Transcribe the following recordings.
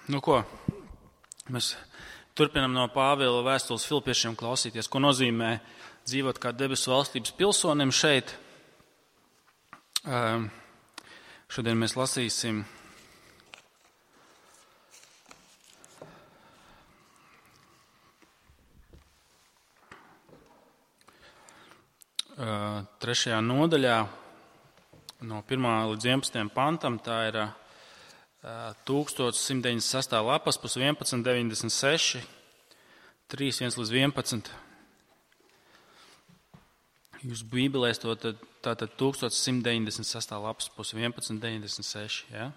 Nu ko, mēs turpinam no Pāvila vēstules Filipiešiem klausīties, ko nozīmē dzīvot kā debesu valstības pilsonim šeit. Šodien mēs lasīsim trešajā nodaļā no 1. līdz 11. pantam, tā ir 1196. lapas, pus 1196, 3.1 līdz 11. Jūs bībelēs to tātad 1196. lapas, pus 1196, ja?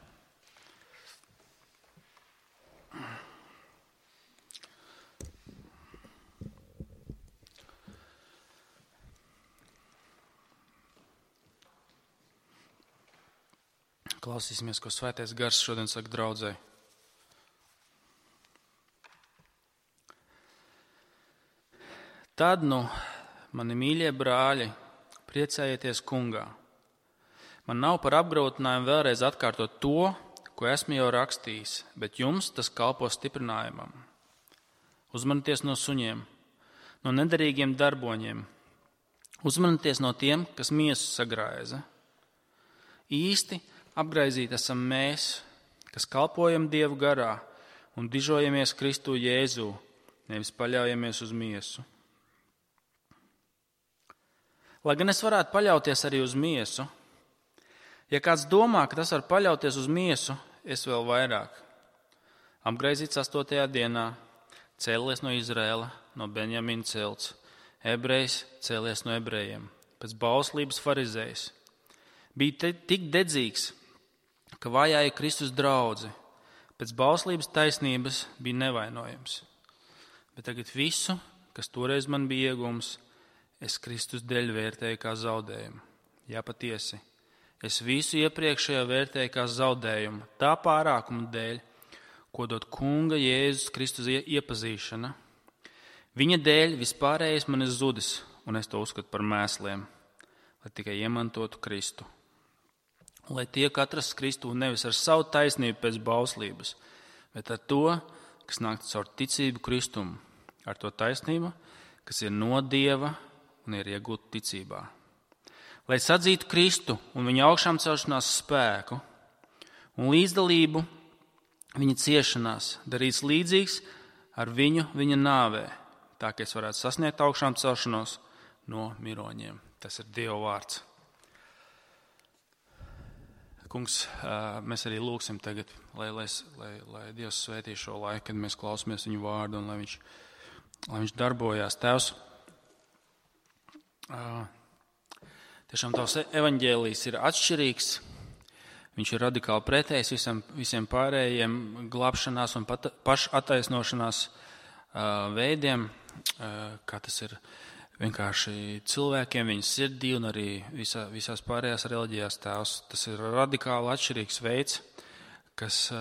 Klausīsimies, ko Svētais Gars šodien saka draudzei. Tad, mani mīļie brāļi, priecājieties kungā. Man nav par apgrūtinājumu vēlreiz atkārtot to, ko esmu jau rakstījis, bet jums tas kalpo stiprinājumam. Uzmanieties no suņiem, no nederīgiem darboņiem. Uzmanieties no tiem, kas miesu sagraiza. Īsti apgraizīt esam mēs, kas kalpojam Dievu garā un dižojamies Kristu Jēzū, nevis paļaujamies uz miesu. Lai gan es varētu paļauties arī uz miesu, ja kāds domā, ka tas var paļauties uz miesu, es vēl vairāk. Apgraizīts 8. dienā, cēlies no Izraēla, no Benjamina celts, ebrejs cēlies no ebrejiem, pēc bauslības farizējs. Bija tik dedzīgs, ka vajāja Kristus draudzi, pēc bauslības taisnības bija nevainojams. Bet tagad visu, kas toreiz man bija iegums, es Kristus dēļ vērtēju kā zaudējumu. Jā, patiesi, es visu iepriekšējo vērtēju kā zaudējumu, tā pārākuma dēļ, ko dod kunga Jēzus Kristus iepazīšana. Viņa dēļ vispārējais man ir zudis, un es to uzskatu par mēsliem, lai tikai iemantotu Kristu. Lai tiek atrasts Kristū nevis ar savu taisnību pēc bauslības, bet ar to, kas nāk caur ticību Kristumu, ar to taisnību, kas ir no Dieva un ir iegūta ticībā. Lai sadzītu Kristu un viņa augšām celšanās spēku un līdzdalību viņa ciešanās, darīts līdzīgs ar viņu viņa nāvē, tā ka es varētu sasniegt augšām celšanos no miroņiem. Tas ir Dieva vārds. Kungs, mēs arī lūgsim tagad, lai Dievs svētī šo laiku, kad mēs klausamies viņu vārdu un lai viņš darbojās. Tēvs, tiešām tavs evaņģēlijs ir atšķirīgs, viņš ir radikāli pretējs visiem pārējiem glābšanās un pašattaisnošanās veidiem, kā tas ir vienkārši cilvēkiem, viņas sirdī un arī visās pārējās reliģijās. Tēvs. Tas ir radikāli atšķirīgs veids, kas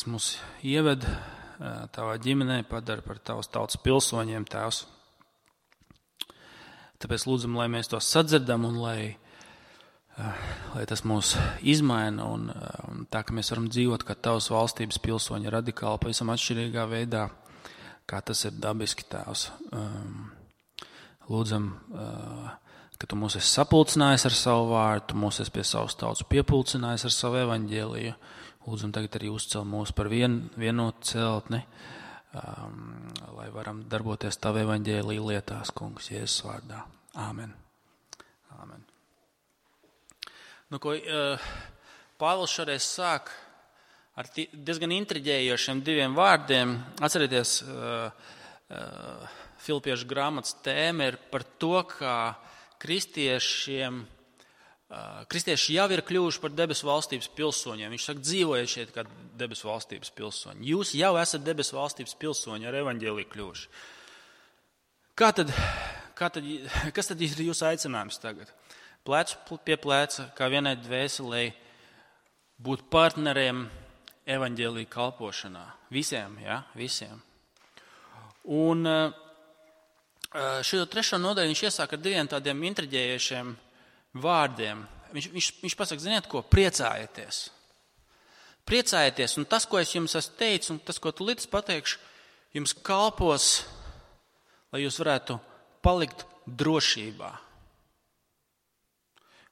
mūs ieved tavā ģimenē, padara par tavas tautas pilsoņiem, Tēvs. Tāpēc lūdzam, lai mēs to sadzirdam un lai tas mūs izmaina un tā, ka mēs varam dzīvot kā tavas valstības pilsoņi radikāli, pavisam atšķirīgā veidā, kā tas ir dabiski, Tēvs. Lūdzam, ka tu mūs esi sapulcinājis ar savu vārdu, tu mūs esi pie savas tautas piepulcinājis ar savu evaņģēliju. Lūdzam tagad arī uzcel mūs par vienotu celtni, lai varam darboties tavu evaņģēliju lietās, kungs, Jēzus vārdā. Āmen. Āmen. Nu, ko Pāvils šoreiz sāk ar diezgan intriģējošiem diviem vārdiem. Atcerieties, Filipiešu grāmatas tēma ir par to, kā kristieši jau ir kļuvuši par debesu valstības pilsoņiem. Viņš saka, dzīvojiet šeit kā debesu valstības pilsoņi. Jūs jau esat debesu valstības pilsoņi, ar evaņģēliju kļuvuši. Kas tad ir jūsu aicinājums tagad? Plecu pie pleca, kā vienai dvēselei, būt partneriem evaņģēlija kalpošanā. Visiem, ja? Visiem. Un šo trešo nodaļu viņš iesāk ar diviem tādiem intriģējušiem vārdiem. Viņš pasaka, ziniet ko, priecājieties. Priecājieties, un tas, ko es jums esmu teicis, un tas, ko tu līdz pateikšu, jums kalpos, lai jūs varētu palikt drošībā.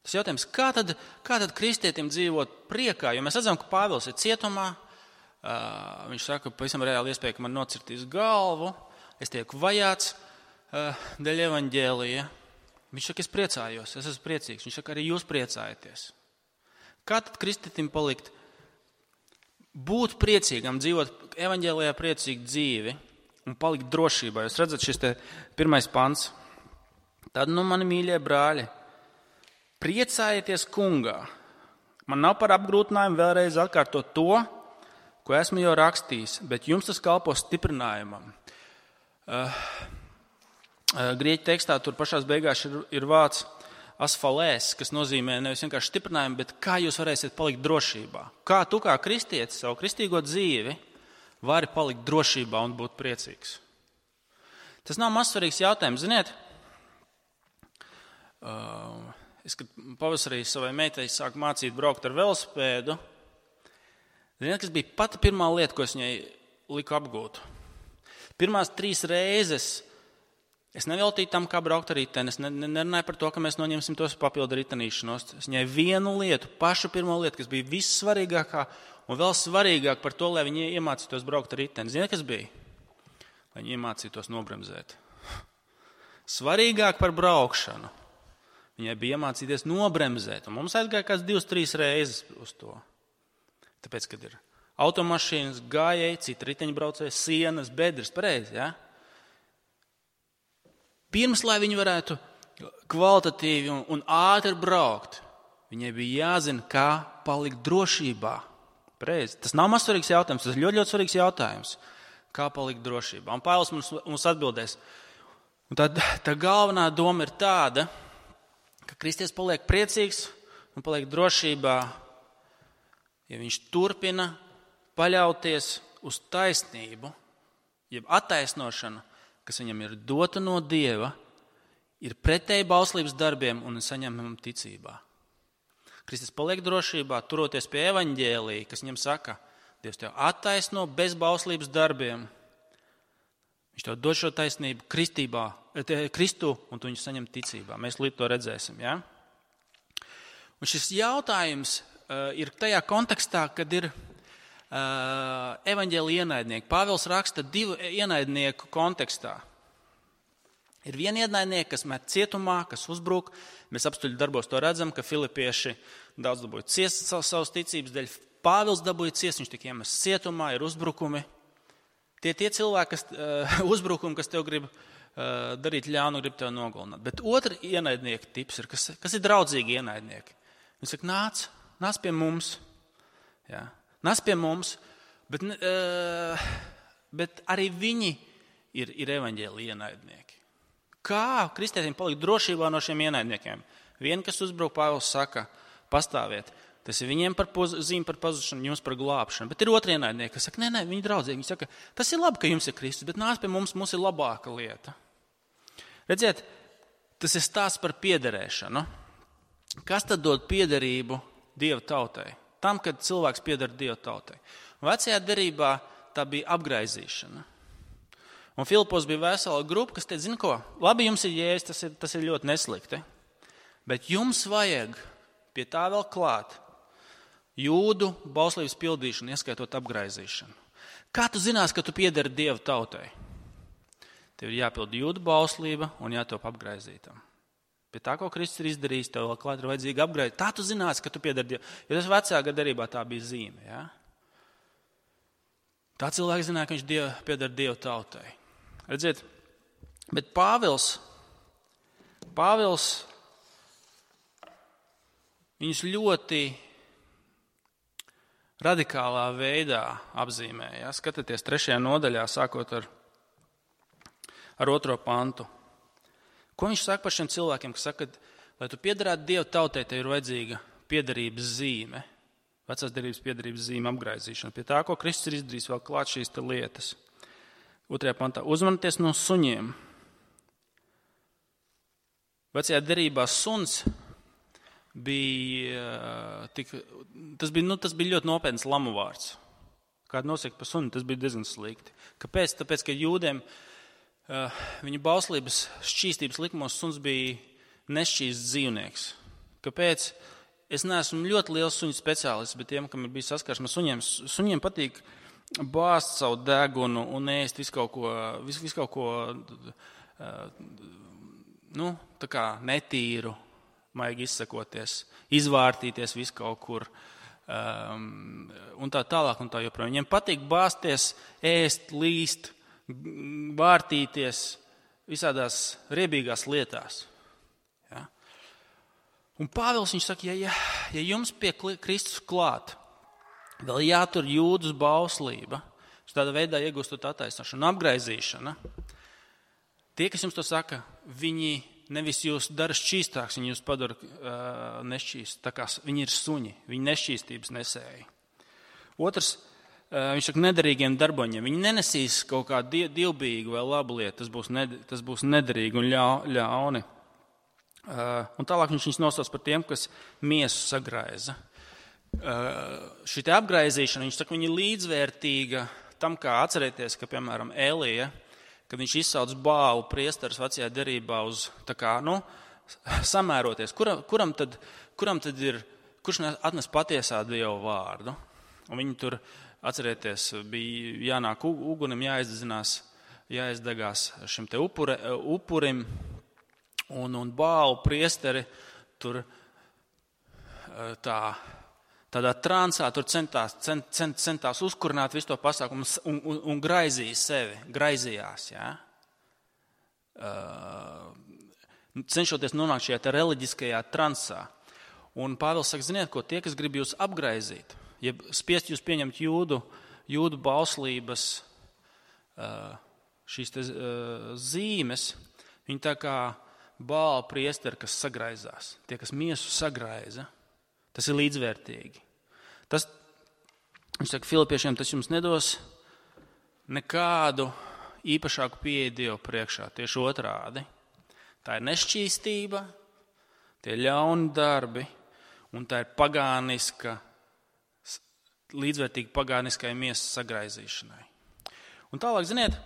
Tas jautājums, kā tad kristietim dzīvot priekā? Jo mēs redzam, ka Pāvils ir cietumā. Viņš saka, ka pavisam reāli iespēja, ka man nocirtīs galvu, es tieku vajāts dēļ evaņģēlija. Viņš saka, es priecājos, es esmu priecīgs. Viņš saka, arī jūs priecājaties. Kā tad kristietim palikt? Būt priecīgam, dzīvot evaņģēlijā priecīgu dzīvi un palikt drošībā. Jūs redzat, šis te 1. pants. Tad, mani mīļie brāļi, priecājieties kungā. Man nav par apgrūtinājumu vēlreiz atkārtot to, ko esmu jau rakstījis, bet jums tas kalpo stiprinājumam. Grieķu tekstā tur pašās beigās ir vārds asfalēs, kas nozīmē nevis vienkārši stiprinājumu, bet kā jūs varēsiet palikt drošībā. Kā tu kā kristietis savu kristīgo dzīvi vari palikt drošībā un būt priecīgs. Tas nav mazsvarīgs jautājums, ziniet. Es, kad pavasarī savai meitai sāku mācīt braukt ar velosipēdu, ziniet, kas bija pati pirmā lieta, ko es viņai liku apgūt. Pirmās 3 reizes es neveltīju tam, kā braukt ar riteni. Es nerunāju par to, ka mēs noņemsim tos papildu ritenīšanos. Es viņai vienu lietu, pašu pirmo lietu, kas bija vissvarīgākā un vēl svarīgāk par to, lai viņi iemācītos braukt ar riteni. Ziniet, kas bija? Lai viņi iemācītos nobremzēt. Svarīgāk par braukšanu. Viņai bija iemācīties nobremzēt. Un mums aizgāja kāds 2-3 reizes uz to. Tāpēc, kad ir automašīnas, gājēji, citi riteņbraucēji, sienas, bedres, pareizi, ja? Pirms, lai viņi varētu kvalitatīvi un ātri braukt, viņai bija jāzina, kā palikt drošībā. Pareizi. Tas nav mazsvarīgs jautājums, tas ir ļoti, ļoti svarīgs jautājums. Kā palikt drošībā. Un Pāvils mums atbildēs. Un tā galvenā doma ir tāda, ka kristietis paliek priecīgs un paliek drošībā, ja viņš turpina paļauties uz taisnību, jeb attaisnošanu, kas viņam ir dota no Dieva, ir pretēji bauslības darbiem un saņemam ticībā. Kristus paliek drošībā, turoties pie evaņģēlija, kas viņam saka, Dievs tev attaisno bez bauslības darbiem. Viņš tev dod šo taisnību Kristu, un tu viņu saņem ticībā. Mēs līdz to redzēsim. Ja? Un šis jautājums ir tajā kontekstā, kad ir evaņģēlija ienaidnieki. Pāvils raksta 2 ienaidnieku kontekstā. Ir viena ienaidnieka, kas met cietumā, kas uzbruk. Mēs apstuļu darbos to redzam, ka filipieši daudz dabūja ciest savas ticības dēļ. Pāvils dabūja ciest, viņš tika iemests cietumā, ir uzbrukumi. Tie cilvēki, uzbrukumi, kas tev grib darīt ļaunu, grib tev nogalināt. Bet otra ienaidnieka tips ir, kas ir draudzīgi ienaidnieki. Viņi saka, nāc pie mums. Jā. Nāc pie mums, bet arī viņi ir evaņģēlija ienaidnieki. Kā kristietim palikt drošībā no šiem ienaidniekiem? Viena, kas uzbruk, Pāvils saka, pastāviet. Tas ir viņiem zīme par pazušanu, jums par glābšanu. Bet ir otri ienaidnieki, kas saka, nē, viņi draudzīgi. Viņi saka, tas ir labi, ka jums ir Kristus, bet nāc pie mums ir labāka lieta. Redziet, tas ir stāsts par piederēšanu. Kas tad dod piederību Dieva tautai? Tam, kad cilvēks pieder Dieva tautai. Vecajā derībā tā bija apgraizīšana. Un Filipos bija vesela grupa, kas teica, zini ko, labi jums ir Jēzus, tas ir ļoti neslikti, bet jums vajag pie tā vēl klāt jūdu bauslības pildīšanu, ieskaitot apgraizīšanu. Kā tu zinās, ka tu piederi Dieva tautai? Tev ir jāpild jūdu bauslība un jātop apgraizītam. Pie tā, ko Kristus ir izdarījis, tev vēl klāt ir vajadzīgi apgraizīt. Tā tu zinās, ka tu piederi Dievu. Jo tas vecākā derībā tā bija zīme. Ja? Tā cilvēki zināja, ka viņš pieder Dieva tautai. Redziet, bet Pāvils viņus ļoti radikālā veidā apzīmē. Ja? Skatieties 3. nodaļā, sākot ar 2. pantu. Ko viņš saka par šiem cilvēkiem, kas saka, lai tu piederētu Dieva tautai, tev ir vajadzīga piederības zīme, vecās derības piederības zīme apgraizīšana. Pie tā, ko Kristus ir izdarījis, vēl klāt šīs lietas. 2. pantā. Uzmanieties no suņiem. Vecajā derībā suns tas bija ļoti nopietns lamu vārds. Kādu nosaka par suni, tas bija diezgan slikti. Kāpēc? Tāpēc, ka jūdiem viņa bauslības šķīstības likumos suns bija nešķīsts dzīvnieks. Kāpēc? Es neesmu ļoti liels suņu speciālists, bet tiem, kam ir bijis saskarsme ar suņiem patīk bāzt savu degunu un ēst visu kaut ko tā kā netīru, maigi izsakoties, izvārtīties visu kaut kur un tā tālāk un tā joprojām. Viņiem patīk bāzties, ēst, līst, vārtīties visādās riebīgās lietās. Ja? Un Pāvils viņš saka, ja jums pie Kristus klāt, vēl jātur jūdas bauslība, tādā veidā iegūstot attaisnošanu, apgraizīšana, tie, kas jums to saka, viņi nevis jūs dara šķīstāks, viņi jūs padara nešķīst, tā kā viņi ir suņi, viņi nešķīstības nesēji. Otrs, viņš saka, nederīgiem darboņiem. Viņi nenesīs kaut kādu dievbijīgu vai labu lietu, tas būs nederīgi un ļauni. Un tālāk viņš nosauc par tiem, kas miesu sagraiza. Šī apgraizīšana, viņš saka, viņa ir līdzvērtīga tam, kā atcerēties, ka, piemēram, Elija, kad viņš izsauc Bālu priesteris vecajā derībā uz, samēroties, kuram tad ir, kurš atnes patiesā Dieva vārdu. Un viņi tur, atcerieties, bija jānāk ugunim, jāizdegās šim te upurim, un Bālu priesteri tur tādā transā tur centās uzkurināt visu to pasākumu un graizījās. Ja? Cenšoties nonākt šajā reliģiskajā transā. Un Pāvils saka, ziniet, ko tie, kas grib jūs apgraizīt, ja spiest jūs pieņemt jūdu bauslības šīs te zīmes, viņi tā kā Bāla priesteri, kas sagraizās, tie, kas miesu sagraiza, tas ir līdzvērtīgi. Viņš saka, Filipiešiem, tas jums nedos nekādu īpašāku pieeju Dievu priekšā, tieši otrādi. Tā ir nešķīstība, tie ir ļauni darbi, un tā ir pagāniska, līdzvērtīga pagāniskai miesas sagraizīšanai. Un tālāk, ziniet,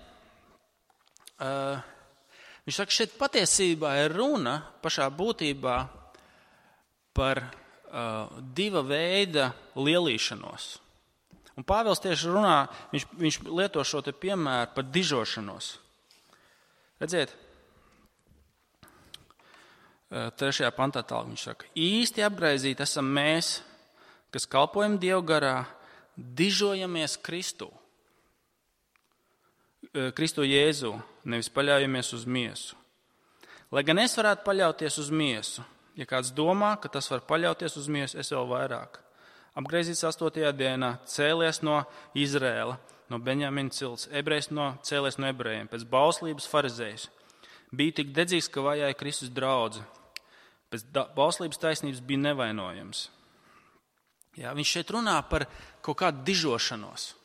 viņš saka, šeit patiesībā ir runa pašā būtībā par diva veida lielīšanos. Un Pāvils tieši runā, viņš lieto šo te piemēru par dižošanos. Redziet, 3. pantā tālāk viņš saka, īsti apgraizīt esam mēs, kas kalpojam Dievu garā, dižojamies Kristu Jēzu, nevis paļaujamies uz miesu. Lai gan es varētu paļauties uz miesu, ja kāds domā, ka tas var paļauties uz miesu, es vēl vairāk. Apgraizīts 8. dienā, cēlies no Izrēla, no Benjamina cilts, cēlies no ebrejiem, pēc bauslības farizējus. Biju tik dedzīgs, ka vajāja Kristus draudzi. Pēc bauslības taisnības bija nevainojams. Jā, viņš šeit runā par kaut kādu dižošanos.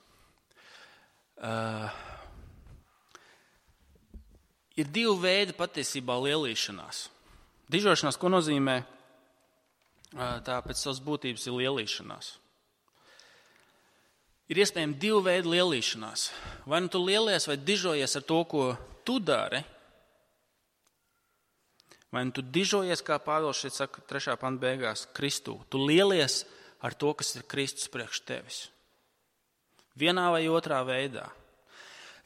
Ir divi veidi patiesībā lielīšanās. Dižošanās, ko nozīmē, tā pēc savas būtības ir lielīšanās. Ir iespējams divu veidu lielīšanās. Vai nu tu lielies vai dižojies ar to, ko tu dari, vai nu tu dižojies, kā Pāvils šeit saka 3. panta beigās, Kristū. Tu lielies ar to, kas ir Kristus priekš tevis. Vienā vai otrā veidā.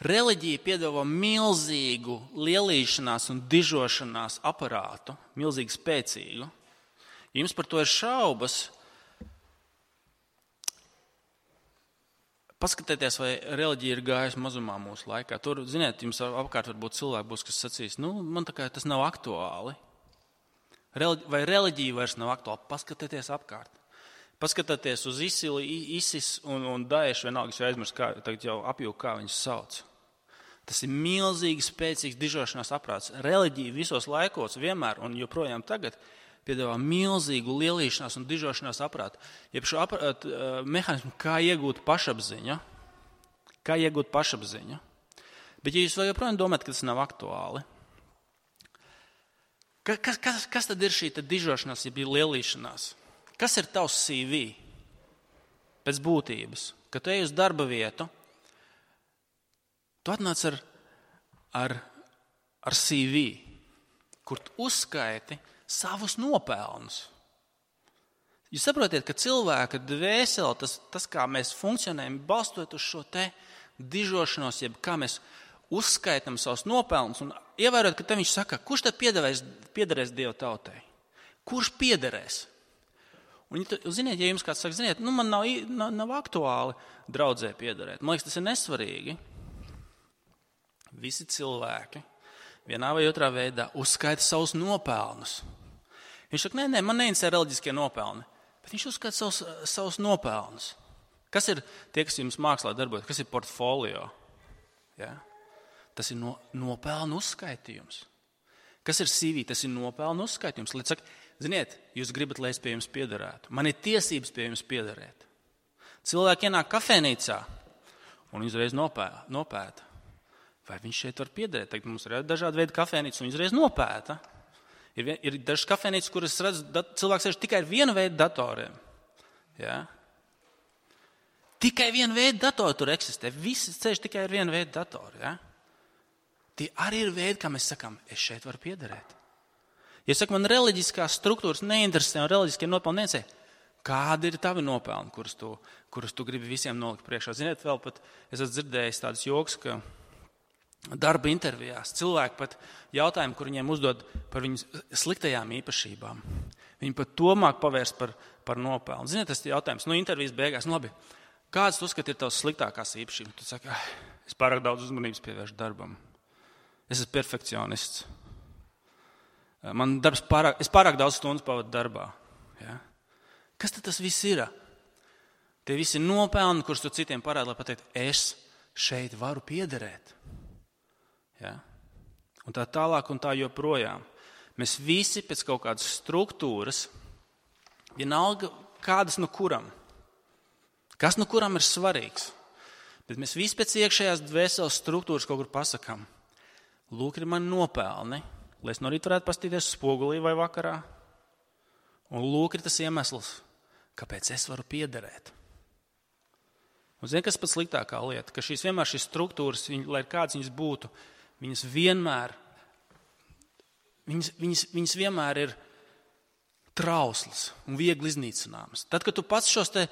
Reliģija piedāvā milzīgu lielīšanās un dižošanās aparātu, milzīgi spēcīgu. Ja jums par to ir šaubas, paskatieties, vai reliģija ir gājusi mazumā mūsu laikā. Tur, ziniet, jums apkārt varbūt cilvēki būs, kas sacīs, man tā kā tas nav aktuāli. Vai reliģija vairs nav aktuāli? Paskatieties apkārt. Paskatieties uz ISIS un Daešu, vienalga, es jau aizmirstu, tagad jau apjūku, kā viņus sauc. Tas ir milzīgi spēcīgs dižošanās aprāts. Reliģija visos laikos vienmēr un joprojām tagad piedāvā milzīgu lielīšanās un dižošanās aprātu. Jeb šo mehānismu, kā iegūt pašapziņu. Bet ja jūs vēl joprojām domājat, ka tas nav aktuāli, Kas tad ir šī dižošanās, ja bija lielīšanās? Kas ir tavs CV pēc būtības? Kad tu ej uz darba vietu, tu atnāc ar CV, kur tu uzskaiti savus nopelnus. Jūs saprotiet, ka cilvēka dvēsele, tas kā mēs funkcionējam, balstot uz šo te dižošanos, jeb kā mēs uzskaitam savus nopelnus un ievērot, ka te viņš saka, kurš tad piederēs Dieva tautai? Kurš piederēs? Un, ziniet, ja jums kāds saka, ziniet, man nav aktuāli draudzē piederēt. Man liekas, tas ir nesvarīgi. Visi cilvēki vienā vai otrā veidā uzskaita savus nopelnus. Viņš saka, nē, man neinteresē reliģiskie nopelni, bet viņš uzskaita savus nopelnus. Kas ir tie, kas jums mākslā darbojas? Kas ir portfolio? Ja? Tas ir nopelnu uzskaitījums. Kas ir CV? Tas ir nopelnu uzskaitījums. Līdz saka, ziniet, jūs gribat, lai es pie jums piederētu. Man ir tiesības pie jums piederēt. Cilvēki ienāk kafejnīcā un uzreiz nopēta. Vai viņš šeit var piederēt? Tagad mums ir dažādi veidi kafejnīcas un uzreiz nopēta. Ir dažas kafejnīcas, kuras redz, cilvēks sēž tikai ar vienu veidu datoriem. Ja? Tikai vienu veidu datoru tur eksistē. Visi sēž tikai ar vienu veidu datoru. Ja? Tie arī ir veidi, kā mēs sakām, es šeit varu piederēt. Ja saka, man reliģiskās struktūras neinteresē un reliģiskie nopelni neinteresē, kādi ir tavi nopelni, kurus tu gribi visiem nolikt priekšā? Ziniet, vēl pat es esmu dzirdējis tādus joks, ka darba intervijās cilvēki pat jautājumu, kur viņiem uzdod par viņu sliktajām īpašībām. Viņi pat to māk pavērst par nopelnu. Ziniet, tas ir jautājums, intervijas beigās, labi, kāds tu uzskati ir tavs sliktākās īpašības? Tu saki, es pārāk daudz uzmanības pievēršu darbam. Es esmu perfekcionists. Es pārāk daudz stundas pavadu darbā. Ja? Kas tad tas viss ir? Tie visi nopelni, kurus tu citiem parādi, lai pateikt, es šeit varu piederēt. Ja? Un tā tālāk un tā joprojām. Mēs visi pēc kaut kādas struktūras, vienalga kādas no kuram. Kas no kuram ir svarīgs. Bet mēs visi pēc iekšējās dvēseles struktūras kaut kur pasakām. Lūk, ir mani nopelni, lai es no rīta varētu pastīties spogulī vai vakarā. Un lūk, ir tas iemesls, kāpēc es varu piederēt. Un zini, kas pats sliktākā lieta? Ka šīs struktūras, lai kāds viņas būtu, viņas vienmēr ir trauslas un viegli iznīcināmas. Tad, kad tu pats šos te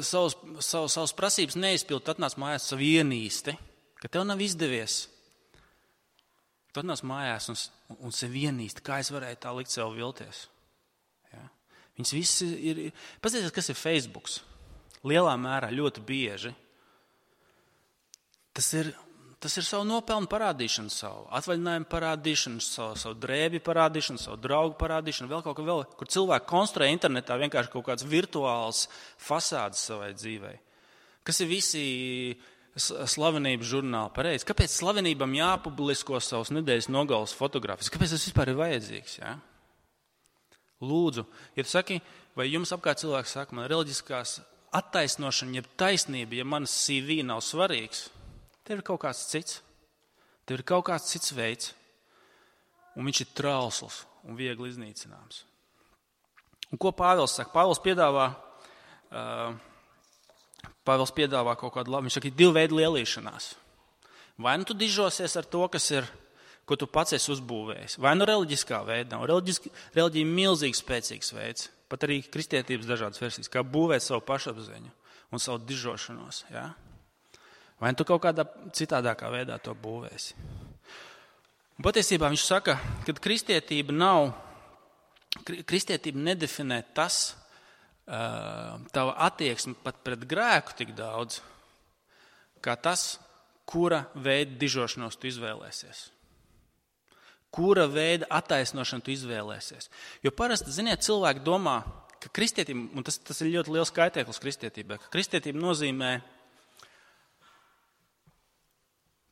savas prasības neizpildi, tad atnāc mājās savu ienīsti, ka tev nav izdevies. Tu atnāc mājās un sevi ienīsti, kā es varēju tā likt sev vilties. Ja? Viņas visi ir. Paskatieties, kas ir Facebook. Lielā mērā ļoti bieži. Tas ir savu nopelnu parādīšanu, savu atvaļinājumu parādīšanu, savu drēbi parādīšanu, savu draugu parādīšanu, vēl kaut ko, kur cilvēki konstruē internetā vienkārši kaut kāds virtuāls fasādes savai dzīvei. Kas ir visi slavenības žurnāli pareizi? Kāpēc slavenībam jāpublisko savus nedēļas nogales fotogrāfijas? Kāpēc tas vispār ir vajadzīgs? Ja? Lūdzu, ja tu saki, vai jums apkārt cilvēks saka, man reliģiskās attaisnošana, jeb taisnība, ja manas CV nav svarīgs, tev ir kaut kāds cits. Tev ir kaut kāds cits veids, un viņš ir trausls un viegli iznīcināms. Un ko Pāvils saka? Pāvils piedāvā kaut kādu labu. Viņš saka, ir divi veidi lielīšanās. Vai nu tu dižosies ar to, ko tu pats esi uzbūvējis, vai nu reliģiskā veidā. Reliģija ir milzīgi spēcīgs veids, pat arī kristietības dažādas versijas, kā būvēt savu pašapziņu un savu dižošanos. Ja? Vai nu tu kaut kādā citādākā veidā to būvēsi. Un patiesībā viņš saka, ka kristietība nedefinē tas, tava attieksme pat pret grēku tik daudz, kā tas, kura veida dižošanos tu izvēlēsies. Kura veida attaisnošanu tu izvēlēsies. Jo parasti, ziniet, cilvēki domā, ka kristietība, un tas ir ļoti liels kaitēklis kristietībai, ka kristietība nozīmē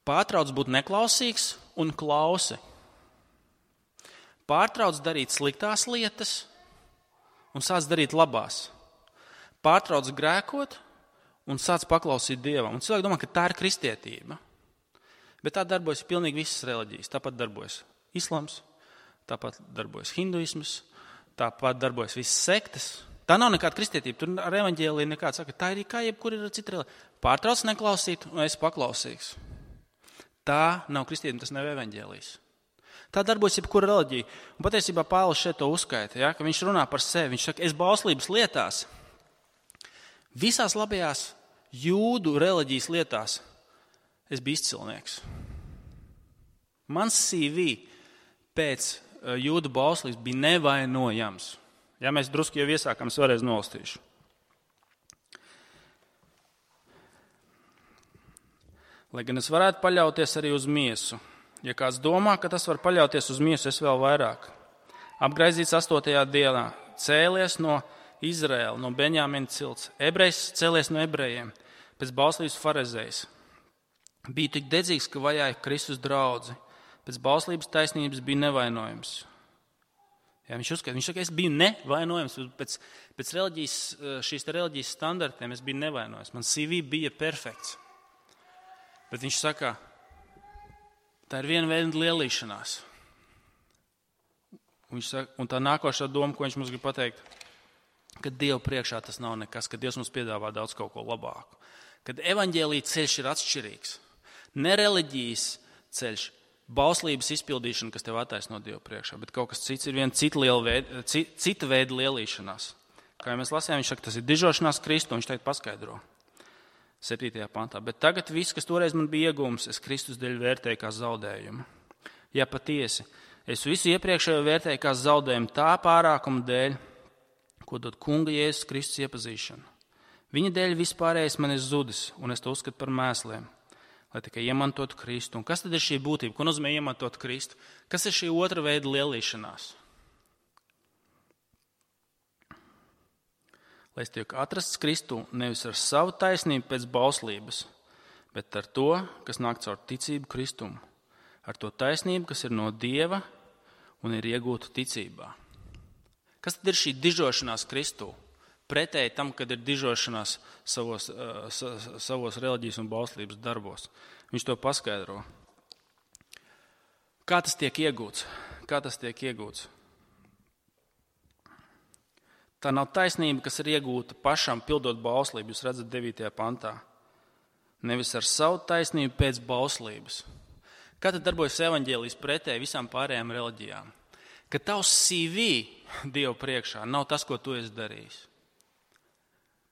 pārtrauc būt neklausīgs un klausi. Pārtrauc darīt sliktās lietas un sāc darīt labās. Pārtrauc grēkot un sāc paklausīt Dievam. Un cilvēki domā, ka tā ir kristietība. Bet tā darbojas pilnīgi visas reliģijas. Tāpat darbojas islams, tāpat darbojas hinduisms, tāpat darbojas visas sektas. Tā nav nekāda kristietība. Tur ar evaņģēliju nekāds saka, tā ir kā jebkur ir cita reliģija. Pārtrauc neklausīt, un es paklausīgs. Tā nav kristietība, tas nav evaņģēlijs. Tā darbojas jebkura reliģija. Un patiesībā Pāvils šeit to uzskaita, ja, ka viņš runā par sevi. Viņš saka, es bauslības lietās, visās labajās jūdu reliģijas lietās, es biju izcilnieks. Mans CV pēc jūdu bauslības bija nevainojams. Ja mēs drusku jau iesākam, es vēlreiz nolastīšu. Lai gan es varētu paļauties arī uz miesu. Ja kāds domā, ka tas var paļauties uz miesu, es vēl vairāk. Apgraizīts 8. dienā, cēlies no Izraēla, no Benjamina cilts. Ebrejs cēlies no ebrejiem, pēc bauslības farizējs. Biju tik dedzīgs, ka vajāja Kristus draudzi. Pēc bauslības taisnības bija nevainojams. Ja, viņš saka, es biju nevainojams. Pēc šīs reliģijas standartiem es biju nevainojams. Man CV bija perfekts. Bet viņš saka, tā ir viena veida lielīšanās. Un tā nākošā doma, ko viņš mums grib pateikt, ka Dievu priekšā tas nav nekas, ka Dievs mums piedāvā daudz kaut ko labāku. Kad evaņģēlija ceļš ir atšķirīgs. Ne reliģijas ceļš, bauslības izpildīšana, kas tev attaisno Dievu priekšā, bet kaut kas cits ir viena cita veida lielīšanās. Kā jau mēs lasījām, viņš saka, tas ir dižošanās Kristu, un viņš teikt paskaidro 7. pantā. Bet tagad viss, kas toreiz man bija iegūms, es Kristus dēļ vērtēju kā zaudējumu. Ja patiesi, es visu iepriekšējo vērtēju kā zaudējumu tā pārākuma dēļ, ko dod Kunga Jēzus Kristus iepazīšana. Viņa dēļ vispārējais man ir zudis, un es to uzskatu par mēsliem, lai tikai iemantotu Kristu. Un kas tad ir šī būtība? Ko nozīmē iemantot Kristu? Kas ir šī otra veida lielīšanās? Lai es tiek atrasts Kristu nevis ar savu taisnību pēc bauslības, bet ar to, kas nāk caur ticību Kristumu. Ar to taisnību, kas ir no Dieva un ir iegūta ticībā. Kas tad ir šī dižošanās Kristū? Pretēji tam, kad ir dižošanās savos reliģijas un bauslības darbos. Viņš to paskaidro. Kā tas tiek iegūts? Tā nav taisnība, kas ir iegūta pašam pildot bauslību. Jūs redzat 9. pantā. Nevis ar savu taisnību pēc bauslības. Kā tad darbojas evaņģēlijs pretēji visām pārējām reliģijām? Ka tavs CV Dievu priekšā nav tas, ko tu esi darījis.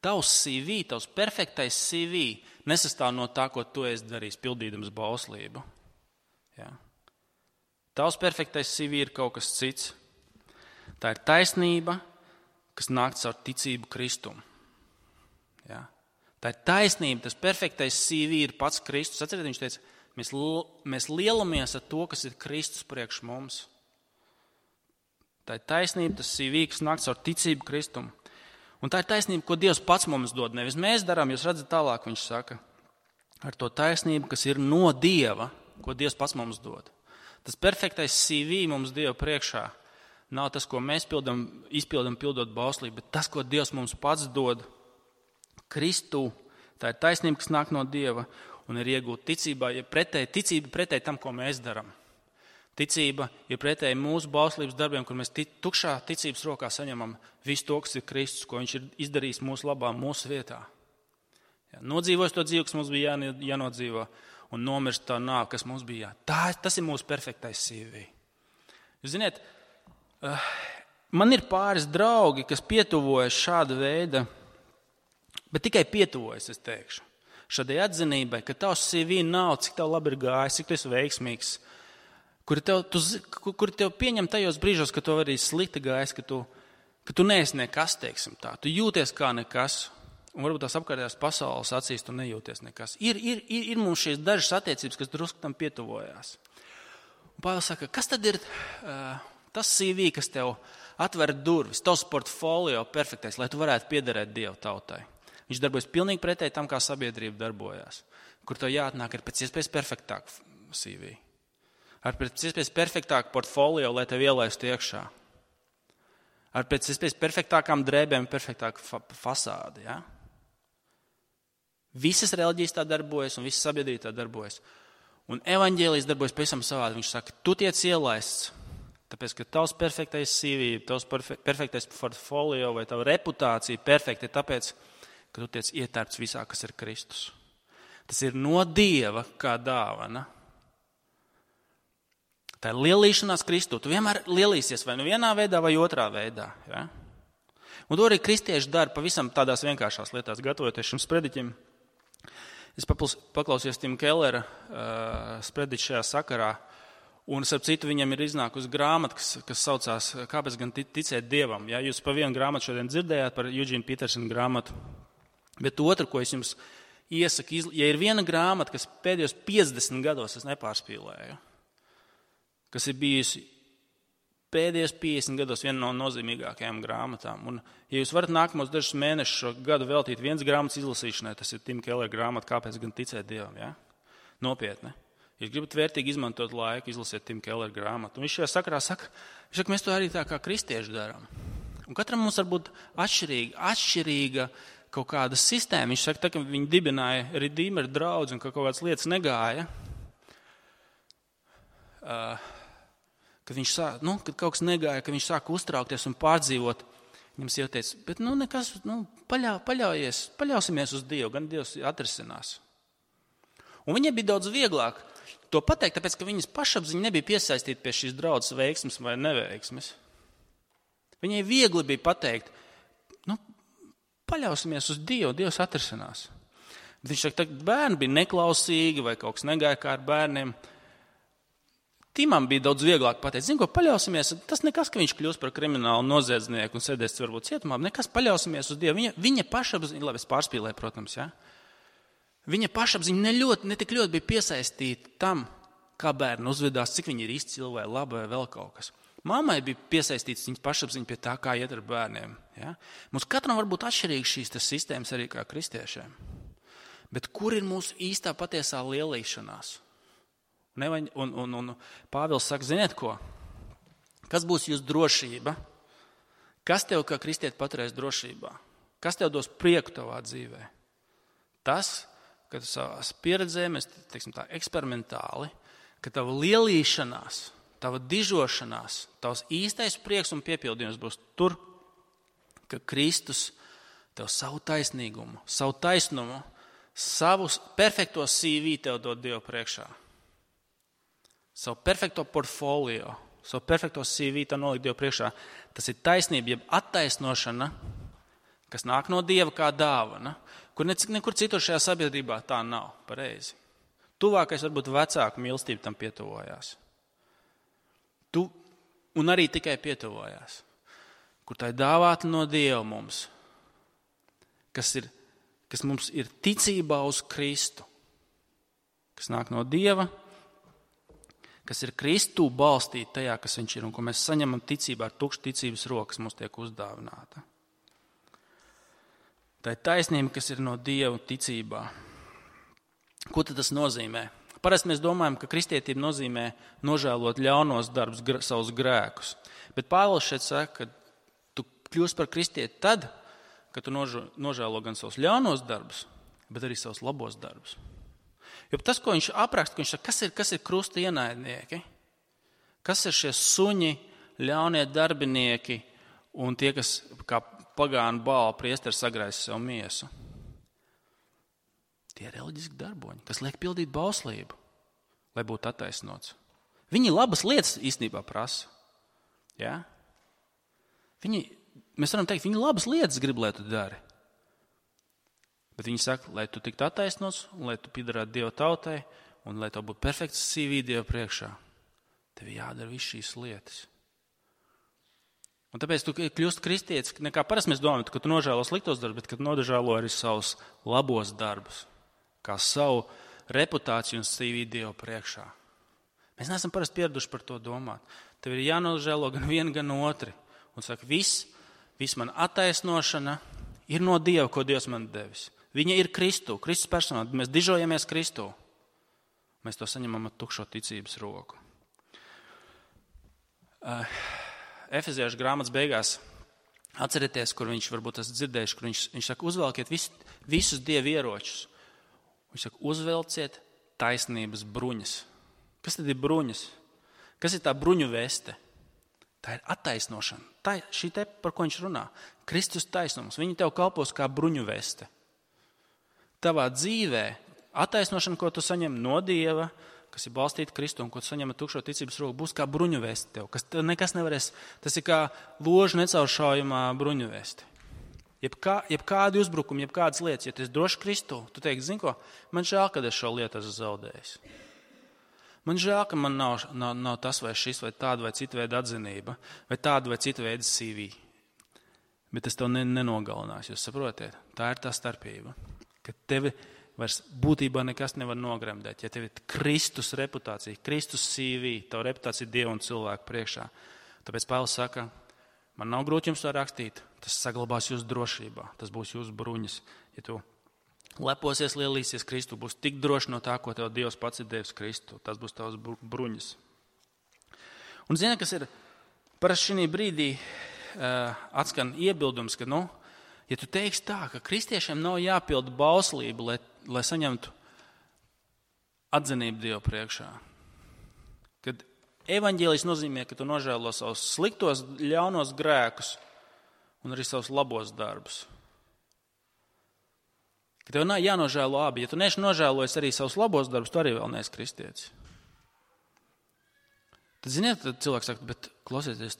Tavs CV, tavs perfektais CV nesastāv no tā, ko tu esi darījis, pildīdams bauslību. Ja. Tavs perfektais CV ir kaut kas cits. Tā ir taisnība, kas nāk caur ticību Kristumu. Ja. Tā ir taisnība, tas perfektais CV ir pats Kristus. Atcerieties, viņš teica, mēs lielamies ar to, kas ir Kristus priekš mums. Tā ir taisnība, tas CV, kas nāk caur ticību Kristumu. Un tā ir taisnība, ko Dievs pats mums dod. Nevis mēs darām, jūs redzat tālāk, viņš saka, ar to taisnību, kas ir no Dieva, ko Dievs pats mums dod. Tas perfektais CV mums Dieva priekšā nav tas, ko mēs izpildam pildot bauslību, bet tas, ko Dievs mums pats dod Kristū. Tā ir taisnība, kas nāk no Dieva un ir iegūta ticībā, ja ticība pretēji tam, ko mēs darām. Ticība ir pretēji mūsu bauslības darbiem, kur mēs tukšā ticības rokā saņemam visu to, kas ir Kristus, ko viņš ir izdarījis mūsu labā, mūsu vietā. Ja, nodzīvojis to dzīvi, kas mums bija jānodzīvo, un nomirst tā nāve, kas mums bija tas ir mūsu perfektais CV. Jūs ziniet, man ir pāris draugi, kas pietuvojas šāda veida, bet tikai pietuvojas, es teikšu, šādai atzinībai, ka tavs CV nav, cik tev labi ir gājis, cik tu esi veiksmīgs, kuri tev pieņem tajos brīžos, ka tu arī slikti gājis, ka tu neesi nekas, teiksim tā. Tu jūties kā nekas, un varbūt tās apkārtējās pasaules acīs tu nejūties nekas. Ir mums šīs dažas attiecības, kas drusku tam pietuvojās. Un Pāvils saka, kas tad ir tas CV, kas tev atver durvis, tavs portfolio perfektais, lai tu varētu piederēt Dievu tautai. Viņš darbojas pilnīgi pretēji tam, kā sabiedrība darbojās, kur tev jāatnāk ar pēc iespējas perfektāku CV. Ar pēc iespējas perfektāku portfolio, lai tev ielaistu iekšā. Ar pēc iespējas perfektākām drēbēm, perfektāku fasādi. Ja? Visas reliģijas tā darbojas un visas sabiedrība tā darbojas. Un evaņģēlijs darbojas pavisam savādi. Viņš saka, tu tiec ielaists Tāpēc, ka tavs perfektais CV, tavs perfektais portfolio vai tava reputācija perfekta ir tāpēc, ka tu tiec ietērpts visā, kas ir Kristus. Tas ir no Dieva kā dāvana. Tā ir lielīšanās Kristū. Tu vienmēr lielīsies vai nu vienā veidā vai otrā veidā. Ja? Un to arī kristieši dara pavisam tādās vienkāršās lietās, gatavoties šim sprediķim. Es paklausījos Tim Kellera sprediķi šajā sakarā, un starp citu viņam ir iznākusi grāmata, kas saucās Kāpēc gan ticēt Dievam. Ja? Jūs pa vienu grāmatu šodien dzirdējāt par Eugene Petersona grāmatu, bet otru, ko es jums iesaku, ja ir viena grāmata, kas pēdējos 50 gados es nepārspīlēju, kas ir bijusi pēdējos 50 gados viena no nozīmīgākajām grāmatām. Un, ja jūs varat nākamos dažus mēnešus šo gadu veltīt viens grāmatas izlasīšanai, tas ir Tim Keller grāmata Kāpēc gan ticēt Dievam. Ja? Nopietni. Ja gribat vērtīgi izmantot laiku, izlasiet Tim Keller grāmatu. Un viņš šajā sakarā saka, mēs to arī tā kā kristieši darām. Un katram mums var būt atšķirīga kaut kāda sistēma. Viņš saka, ka viņi dibināja Redeemer draudzi un ka kaut kādas lietas negāja. Kad kad kaut kas negāja, ka viņš sāka uztraukties un pārdzīvot, viņam sieva teica, bet nekas, paļausimies uz Dievu, gan Dievs atrisinās. Un viņai bija daudz vieglāk to pateikt, tāpēc, ka viņas pašapziņa nebija piesaistīta pie šīs draudzes veiksmes vai neveiksmes. Viņai viegli bija pateikt, paļausimies uz Dievu, Dievs atrisinās. Bet viņš saka, ka bērni bija neklausīgi vai kaut kas negāja kā ar bērniem. Timam bija daudz vieglāk pateikt, ko paļausimies, tas nekas, ka viņš kļūs par kriminālu noziedznieku un sēdēs varbūt cietumā, nekas paļausimies uz Dievu. Viņa pašapziņa, labi, es pārspīlēju, protams, ja? Viņa pašapziņa ne tik ļoti bija piesaistīta tam, kā bērni uzvedās, cik viņi ir izcili vai labi vai vēl kaut kas. Mammai bija piesaistīts viņas pašapziņa pie tā, kā iet ar bērniem. Ja? Mums katram var būt atšķirīgas šīs sistēmas arī kā kristiešiem. Bet kur ir mūsu īstā patiesā lielīšanās? Un Pāvils saka, ziniet ko? Kas būs jūsu drošība? Kas tev kā kristieti paturēs drošībā? Kas tev dos prieku tavā dzīvē? Tas, ka tu savās pieredzēm, teiksim tā, eksperimentāli, ka tava lielīšanās, tava dižošanās, tavs īstais prieks un piepildījums būs tur, ka Kristus tev savu taisnīgumu, savu taisnumu, savu perfekto CV tev dod Dievu priekšā. Savu perfekto portfolio, savu perfekto CV tev nolikt Dievu priekšā. Tas ir taisnība, jeb attaisnošana, kas nāk no Dieva kā dāvana, kur nekur citur šajā sabiedrībā tā nav pareizi. Tuvākais varbūt vecāku mīlestība tam pietuvojās. Un arī tikai pietuvojās. Kur tā ir dāvāta no Dieva mums, kas mums ir ticībā uz Kristu, kas nāk no Dieva, kas ir Kristū balstīta tajā, kas viņš ir, un ko mēs saņemam ticībā ar tukšu ticības rokas mums tiek uzdāvināta. Tā ir taisnība, kas ir no Dieva ticībā. Ko tad tas nozīmē? Parasti mēs domājam, ka kristietība nozīmē nožēlot ļaunos darbus, savus grēkus. Bet Pāvils šeit saka, ka tu kļūsi par kristieti tad, kad tu nožēlo gan savus ļaunos darbus, bet arī savus labos darbus. Jo tas, ko viņš apraksta, viņš saka, kas ir krusta ienaidnieki? Kas ir šie suņi, ļaunie darbinieki un tie, kas kā pagānu Bāla priesteri sagraisa sev miesu? Tie ir reliģiski darboņi, kas liek pildīt bauslību, lai būtu attaisnots. Viņi labas lietas īstenībā prasa. Ja? Mēs varam teikt, viņi labas lietas grib, lai tu dari. Bet viņi saka, lai tu tiktu attaisnots, un lai tu piederētu Dieva tautai, un lai tev būtu perfekts CV Dieva priekšā. Tev jādara viss šīs lietas. Un tāpēc tu kļūst kristietis, nekā parasti mēs domājam, ka tu nožēlo sliktos darbus, bet ka tu nožēlo arī savus labos darbus, kā savu reputāciju un CV Dieva priekšā. Mēs neesam parasti pieraduši par to domāt. Tev ir jānožēlo gan vienu, gan otru. Un saka, viss man attaisnošana ir no Dieva, ko Dievs man devis. Viņa ir Kristus personā. Mēs dižojamies Kristū. Mēs to saņemam ar tukšo ticības roku. Efeziešu grāmatas beigās atcerieties, kur viņš varbūt esat dzirdējuši, kur viņš saka, uzvelkiet visus Dieva ieročus. Viņš saka, uzvelciet taisnības bruņas. Kas tad ir bruņas? Kas ir tā bruņu veste? Tā ir attaisnošana. Šī te, par ko viņš runā. Kristus taisnums. Viņi tev kalpos kā bruņuveste. Tavā dzīvē attaisnošana, ko tu saņem no Dieva, kas ir balstīta Kristu un ko tu saņem ar tukšo ticības roku, būs kā bruņuveste tev. Kas nekas nevarēs, tas ir kā ložu necauršaujamā bruņuveste. Jebkādi uzbrukumi, jebkādas lietas, ja tu esi droši Kristu, tu teiksi, zini ko, man žēl, kad es šo lietu esmu zaudējis. Man žēl, ka man nav tas vai šis, vai tāda vai cita veida atzinība, vai tāda vai cita veida CV. Bet es tev nenogalināšu, jūs saprotiet? Tā ir tā starpība, ka tevi vairs būtībā nekas nevar nogremdēt. Ja tev ir Kristus reputācija, Kristus CV, tava reputācija Dieva un cilvēku priekšā. Tāpēc Pāvils saka, man nav grūti jums to rakstīt, tas saglabās jūsu drošībā, tas būs jūsu bruņas. Ja tu leposies, lielīsies Kristu, būs tik droši no tā, ko tev Dievs pats ir devis Kristu. Tas būs tavs bruņas. Un zini, kas ir parasti šī brīdī atskan iebildums, ka, ja tu teiksi tā, ka kristiešiem nav jāpilda bauslība, lai saņemtu atzinību Dievu priekšā. Kad evaņģēlijs nozīmē, ka tu nožēlo savus sliktos, ļaunos grēkus un arī savus labos darbus. Ka tev nav jānožēlo abi. Ja tu neesi nožēlojis arī savus labos darbus, tu arī vēl neesi kristietis. Tad, ziniet, tad cilvēks saka, bet klausieties,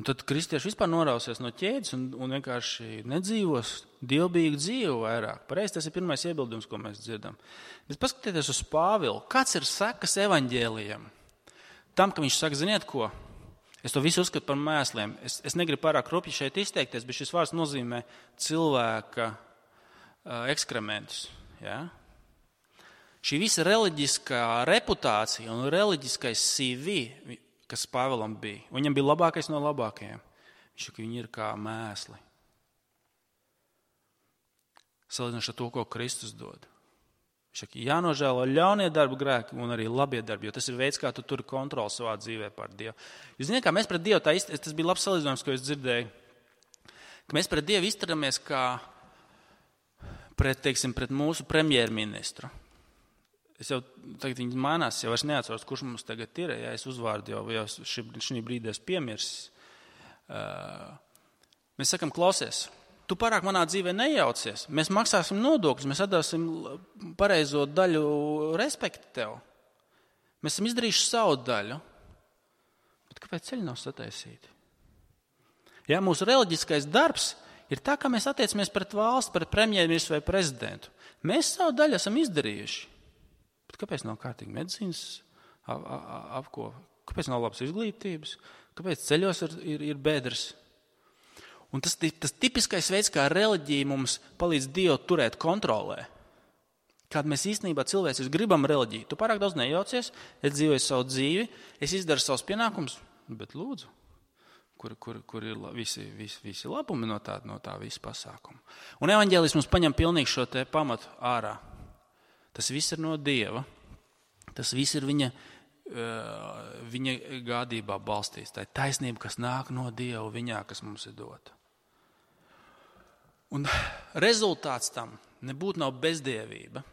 tad kristieši vispār norausies no ķēdes un vienkārši nedzīvos dievbijīgu dzīvi vairāk. Pareizi, tas ir pirmais iebildums, ko mēs dzirdam. Bet paskatieties uz Pāvilu. Kāds ir sekas evaņģēlijam? Tam, ka viņš saka, ziniet ko? Es to visu uzskatu par mēsliem. Es negribu pārāk rupji šeit izteikties, bet šis vārds nozīmē cilvēka ekskrementus. Ja? Šī visa reliģiskā reputācija un reliģiskais CV, kas Pāvilam bija, viņam bija labākais no labākajiem. Viņš saka, viņi ir kā mēsli. Salīdzinoši ar to, ko Kristus dod. Viņš saka, jānožēlo ļaunie darbu grēki un arī labie darbi, jo tas ir veids, kā tu turi kontroli savā dzīvē pār Dievu. Jūs zināt, kā mēs pret Dievu, tas bija labs salīdzinājums, ko es dzirdēju, ka mēs pret Dievu izturamies kā pret mūsu premjerministru. Es jau tagad viņi mainās, jau es neatceros, kurš mums tagad ir, ja es uzvārdu jau šī brīdī es piemirsis. Mēs sakam, klausies, tu pārāk manā dzīvē nejaucies, mēs maksāsim nodokļus, mēs atdāsim pareizo daļu respektu tev. Mēs esam izdarījuši savu daļu, bet kāpēc ceļi nav sataisīti? Ja, mūsu reliģiskais darbs ir tā, kā mēs attiecamies pret valsts, pret premjerministru vai prezidentu. Mēs savu daļu esam izdarījuši. Bet kāpēc nav kārtīgi medicīnas apkopa? Kāpēc nav labas izglītības? Kāpēc ceļos ir bedres? Un tas tipiskais veids, kā reliģija mums palīdz Dievu turēt kontrolē. Kāda mēs īstenībā cilvēcis gribam reliģiju. Tu pārāk daudz nejaucies, es dzīvoju savu dzīvi, es izdaru savus pienākumus, bet lūdzu. Kur ir visi labumi no tā visa pasākuma. Un evaņģēlijs mums paņem pilnīgi šo te pamatu ārā. Tas viss ir no Dieva. Tas viss ir viņa gādībā balstīts. Tā ir taisnība, kas nāk no Dieva viņā, kas mums ir dota. Un rezultāts tam nebūtu nav bezdievība.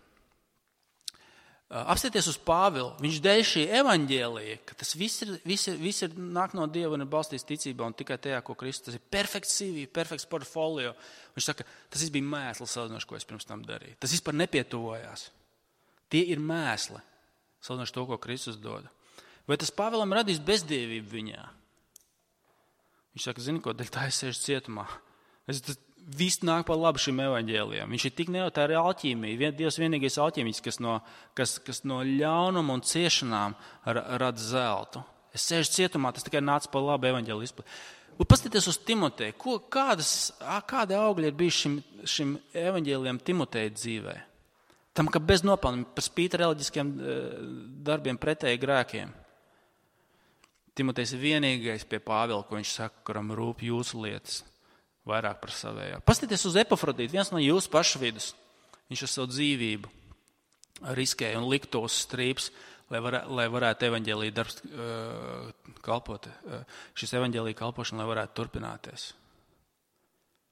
Apstieties uz Pāvilu, viņš dēļ šī evaņģēlija, ka tas viss ir nāk no Dieva un ir balstīts ticībā un tikai tajā, ko Kristus, tas ir perfekts CV, perfekts portfolio. Viņš saka, tas viss bija mēsls salīdzinoši, ko es pirms tam darīju. Tas vispār nepietuvojās. Tie ir mēsli, salīdzinoši to, ko Kristus dod. Vai tas Pāvilam radīs bezdievību viņā? Viņš saka, zini ko, dēļ tā es sēžu cietumā. Viss nāk par labu šim evaņģēlijam. Viņš ir tik tā ir alķīmija. Dievs vienīgais alķīmiķis, kas no ļaunuma un ciešanām rada zeltu. Es sēžu cietumā, tas tikai nāca par labu evaņģēliju izplatīt. Paskatieties uz Timoteju. Kādi augļi ir bijuši šim evaņģēlijam Timoteja dzīvē? Tam, ka bez nopelniem, par spīti reliģiskiem darbiem pretēji grēkiem. Timotejs ir vienīgais pie Pāvila, ko viņš saka, kuram rūp jūsu lietas. Vairāk par savējā. Paskatieties uz Epafrodītu, viens no jūsu pašu vidus. Viņš ar savu dzīvību riskēja un likto uz strīps, lai varētu evaņģēlija darbs kalpot, šis evaņģēlija kalpošana, lai varētu turpināties.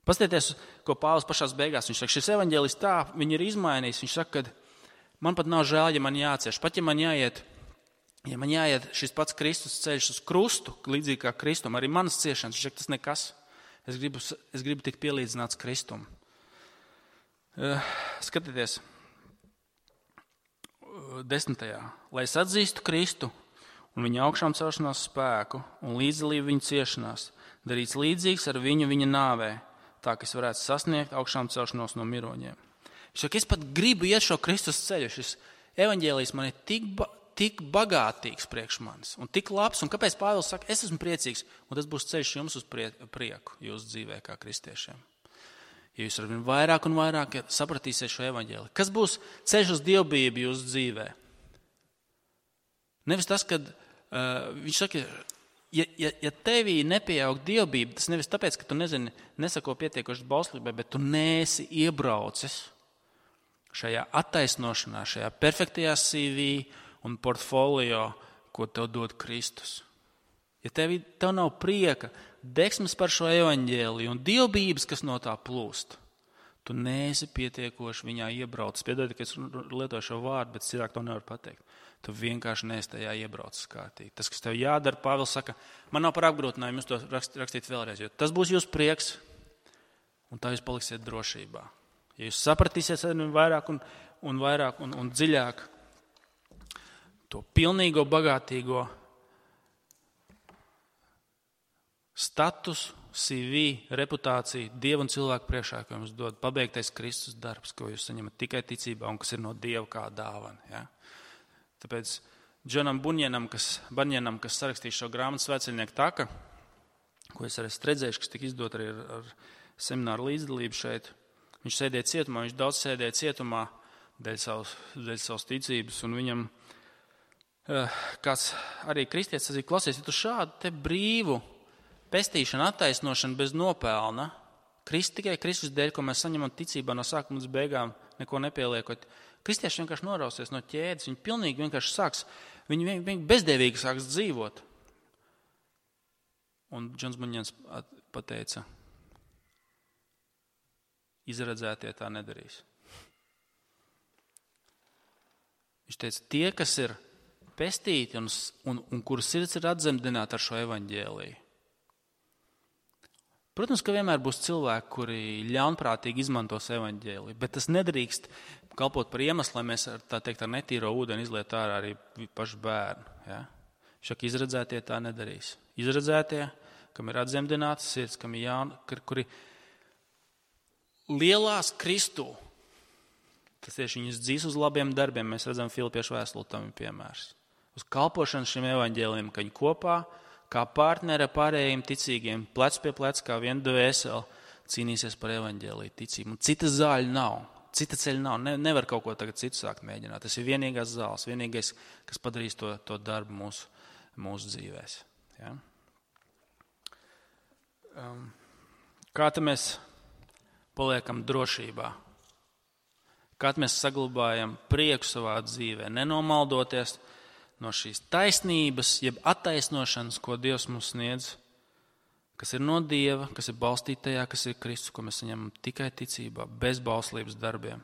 Paskatieties, ko Pāvils pašās beigās, viņš saka, šis evaņģēlijs tā, viņi ir izmainījis, viņš saka, ka man pat nav žēl, ja man jācieš, pat ja man jāiet Ja man jāiet šis pats Kristus ceļš uz krustu, līdzīgi kā Kristum, arī manas ciešanas, tas nekas. Es gribu tikt pielīdzināts Kristum. Skatieties, 10. Lai es atzīstu Kristu un viņa augšām celšanās spēku un līdzdalību viņa ciešanās, darīts līdzīgs ar viņu viņa nāvē, tā, ka es varētu sasniegt augšām celšanos no miroņiem. Es pat gribu iet šo Kristus ceļu. Šis evaņģēlijs man ir tik bagātīgs priekš manis un tik labs. Un kāpēc Pāvils saka, es esmu priecīgs, un tas būs ceļš jums uz prieku jūsu dzīvē kā kristiešiem. Ja jūs arvien vairāk un vairāk sapratīsiet šo evaņģēliju. Kas būs ceļš uz dievbijību jūsu dzīvē? Nevis tas, kad viņš saka, ja tevī nepieaug dievbijība, tas nevis tāpēc, ka tu nesako pietiekoši bauslībai, bet tu neesi iebraucis šajā attaisnošanā, šajā perfektajā CV un portfolio, ko tev dod Kristus. Ja tev nav prieka, degsmes par šo evaņģēliju un dievbijības, kas no tā plūst, tu neesi pietiekoši viņā iebraucis. Piedodiet, ka es lietoju šo vārdu, bet cilvēki to nevar pateikt. Tu vienkārši neesi tajā iebraucis kārtīgi. Tas, kas tev jādara, Pāvils saka, man nav par apgrūtinājumu jūs to rakstīt vēlreiz, jo tas būs jūsu prieks, un tā jūs paliksiet drošībā. Ja jūs sapratīsiet vairāk un vairāk un dziļāk to pilnīgo, bagātīgo statusu, CV, reputāciju Dievu un cilvēku priekšā, ko jums dod pabeigtais Kristus darbs, ko jūs saņemat tikai ticībā un kas ir no Dieva kā dāvana. Ja? Tāpēc Džonam Bunjanam, kas sarakstīja šo grāmatu Svētceļnieku taka, ko es arī redzējuši, kas tika izdot arī ar semināru līdzdalību šeit, viņš sēdēja cietumā, viņš daudz sēdēja cietumā dēļ savas ticības, un viņam kāds arī kristietis sacīja, klausies, ja tu šādu te brīvu pestīšanu, attaisnošanu bez nopelna, tikai Kristus dēļ, ko mēs saņemam ticībā no sākuma līdz beigām, neko nepieliekot, kristieši vienkārši norausies no ķēdes, viņi pilnīgi vienkārši sāks, viņi bezdevīgi sāks dzīvot. Un Džons Bunjans pateica, izredzētie tā nedarīs. Viņš teica, tie, kas ir pestīti un kuru sirds ir atzemdināti ar šo evaņģēliju. Protams, ka vienmēr būs cilvēki, kuri ļaunprātīgi izmantos evaņģēliju, bet tas nedrīkst kalpot par iemeslu, lai mēs ar netīro ūdeni izliet ārā arī pašu bērnu. Ja? Šak izredzētie tā nedarīs. Izredzētie, kam ir atzemdināts sirds, kam ir kuri lielās Kristū, tas tieši viņus dzīs uz labiem darbiem, mēs redzam Filipiešu vēstuli, tam ir piemērs. Uz kalpošanu šim evaņģēlijam, ka viņi kopā, kā partneri ar pārējiem ticīgiem, plec pie plec, kā viena dvēsele, cīnīsies par evaņģēliju ticību. Un cita zāļa nav, cita ceļa nav, nevar kaut ko tagad citu sākt mēģināt. Tas ir vienīgās zāles, vienīgais, kas padarīs to darbu mūsu dzīvēs. Ja? Kā tad mēs paliekam drošībā? Kā mēs saglabājam prieku savā dzīvē, nenomaldoties no šīs taisnības, jeb attaisnošanas, ko Dievs mums sniedz, kas ir no Dieva, kas ir balstīta tajā, kas ir Kristus, ko mēs saņemam tikai ticībā, bez bauslības darbiem.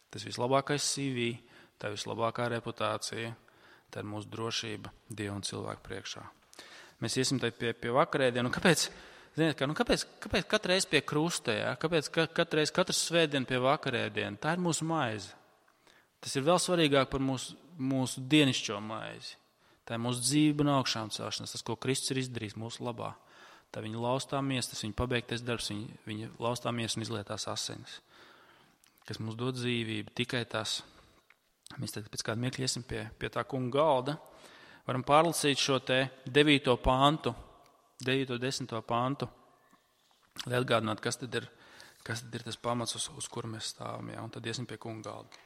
Tas vislabākais CV, tā vislabākā reputācija, tā ir mūsu drošība Dieva un cilvēku priekšā. Mēs iesim pie vakarēdienu. Kāpēc katru reizi pie krusta, ja? Kāpēc katru svētdienu pie vakarēdienu? Tā ir mūsu maize. Tas ir vēl svarīgāk par mūsu dienišķo maizi. Tā ir mūsu dzīve un augšām celšanās, tas, ko Kristus ir izdarījis mūsu labā. Tā viņa laustā miesa, tas viņa pabeigtais darbs, viņa laustā miesa un izlietās asinis, kas mums dod dzīvību. Tikai tas. Mēs tad pēc kāda mirkļa iesim pie tā kunga galda. Varam pārlasīt šo te 9. pantu, 9. 10. pantu, lai atgādinātu, kas tad ir tas pamats, uz kuru mēs stāvam, ja? Un tad iesim pie kunga galda.